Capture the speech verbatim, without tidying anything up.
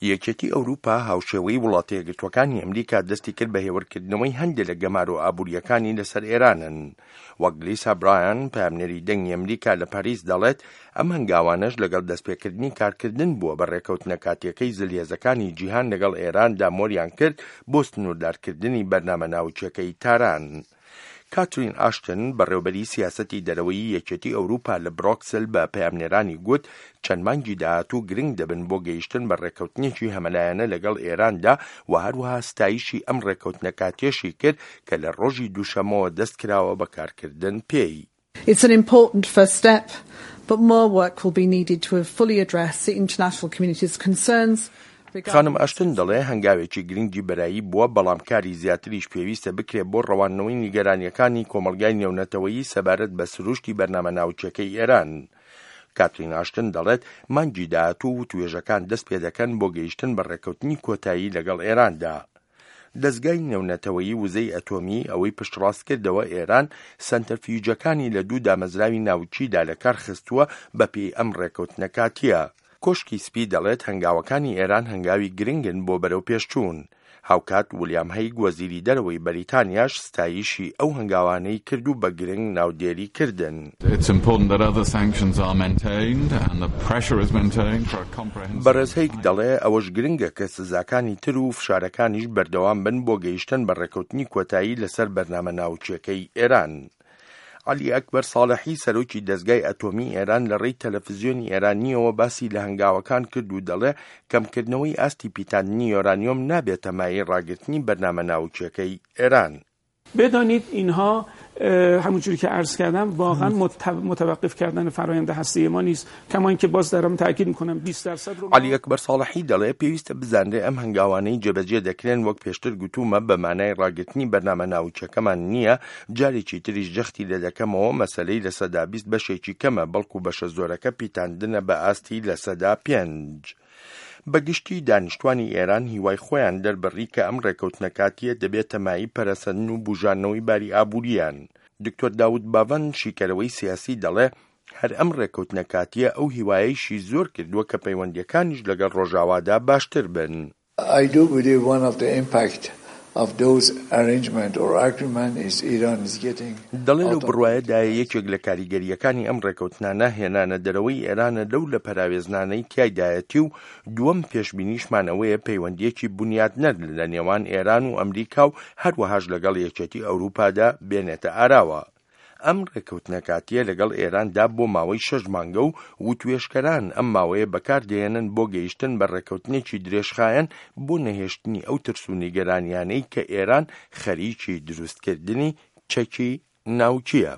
یەکێتی ئەوروپا هاوشێوەی وڵاتە یەکگرتووەکانی ئەمریکا دەستی کرد بە هێورکردنەوەی هەندێک لە گەمارۆ ئابووریەکانی لەسەر ئێرانن. وەک لیسا برایان، پەیامنێری دەنگی ئەمریکا لە پاریس دەڵێت، ئەم هەنگاوانەش لەگەڵ دەستپێکردنی کارکردن بووە بە ڕێکەوتنە کاتیەکەی زلهێزەکانی جیهان لەگەڵ ئێراندا مۆریان کرد بۆ سنووردارکردنی بەرنامە ناوکیەکەی تاران. کاترین ئاشتن، بەڕێوبەری سیاسەتی دەرەوەی یەکێتی ئەوروپا لە برۆکسل، بە پەیامنێرانی گوت چەند مانگی داهاتوو گرنگ دەبن بۆ گەیشتن بە ڕێککەوتنێکی هەمەلایەنە لەگەڵ ئێراندا و هەروەها ستایشی ئەم ڕێککەوتنە کاتیەشی کرد کە لە ڕۆژی دووشەمەوە دەست کراوە بە کارکردن پێی. It's an important first step, but more work will be needed to fully address the international community's concerns. خانم ئاشتن دەڵێ هەنگاوێکی گرنگی بەرایی بووە، بەڵام کاری زیاتریش پێویستە بکرێت بۆ ڕەواندنەوەی نیگەرانیەکانی کۆمەلگای نێونەتەوەیی سەبارەت بە سروشتی بەرنامە ناوکیەکەی ئێران. کاترین ئاشتن دەڵێت مانگی داهاتوو وتوێژەکان دەست پێ دەکەن بۆ گەیشتن بە ڕێککەوتنی کۆتایی لەگەڵ ئێراندا. دەزگای نێونەتەوەیی وزەی ئەتۆمی ئەوەی پشتڕاست کردەوە ئێران سەنتەرفیوجەکانی لە دوو دامەزراوی ناوکیدا لە کار خستووە بەپێی ئەم ڕێککەوتنە کاتیە. کۆشکی سپی دەڵێت هەنگاوەکانی ئێران هەنگاوی گرنگن بۆ بەرەو پێشچوون. هاوکات ولیام هەیگ، وەزیری دەرەوەی بەریتانیاش، ستایشی ئەو هەنگاوانەی کرد و بە گرنگ ناودێری کردن. بەڕێز هەیگ دەڵێ ئەوەش گرنگە کە سزاکانی تر و فشارەکانیش بەردەوام بن بۆ گەیشتن بە ڕێککەوتنی کۆتایی لەسەر بەرنامە ناوکیەکەی ئێران. عەلی ئەکبەر ساڵحی، سەرۆکی دەزگای ئەتۆمی ئێران، لە ڕێی تەلەفزیۆنی ئێرانیەوە باسی لە هەنگاوەکان کرد و دەڵێ کەمکردنەوەی ئاستی پیتاندنی یۆرانیۆم نابێتە مایەی ڕاگرتنی بەرنامە ناوکیەکەی ئێران. بدانید اینها همونجوری که عرض کردم واقعا متوقف کردن فرآیند هسته‌ای ما نیست، کما اینکه باز دارم تاکید میکنم بیست درصد رو. علی ئەکبەر ساڵحی دەڵێ پێویستە بزانرێ ئەم هەنگاوانەی جێبەجێ دەکرێن وەک پێشتر گوتومە بە مانای ڕاگرتنی بەرنامە ناوکیەکەمان نییە. جارێکی تریش جەختی لێ دەکەمەوە مەسەلەی لە سەدا بیست بەشێکی کەمە، بەڵکو بەشە زۆرەکە پیتاندنە بە ئاستی لە سەدا پێنج. بەگشتی دانیشتوانی ئێران هیوای خۆیان دەربڕی کە ئەم ڕێککەوتنە کاتیە دەبێتە مایەی پەرەسەندن و بوژانەوەی باری ئابووریان. دکتۆر داود باڤان، شیکەرەوەی سیاسی، دەڵێ هەر ئەم ڕێککەوتنە کاتیە ئەو هیوایەیشی زۆر کردووە کە پەیوەندیەکانیش لەگەڵ ڕۆژاوادا باشتر بن. I do believe one of the impact of those arrangement or agreement is Iran is getting دەڵێ لەو بڕوایەدایە یەکێک لە کاریگەریەکانی ئەم ڕێکەوتنانە هێنانە دەرەوەی ئێرانە لەو لە پەراوێزنانەی تیایدایەتی و دووەم پێشبینیشمان ئەوەیە پەیوەندیەکی بنیاتنەر لە نێوان ئێران و ئەمریکا و هەروەهاش لەگەڵ یەکێتی ئەوروپادا بێنێتە ئاراوە. ئەم ڕێککەوتنە کاتیە لەگەڵ ئێراندا بۆ ماوەی شەش مانگە و وتوێژکەران ئەم ماوەیە بەکاردێنن بۆ گەیشتن بە ڕێککەوتنێکی درێژخایەن بۆ نەهێشتنی ئەو ترس و نیگەرانیانەی کە ئێران خەریکی دروستکردنی چەکی ناوکیە.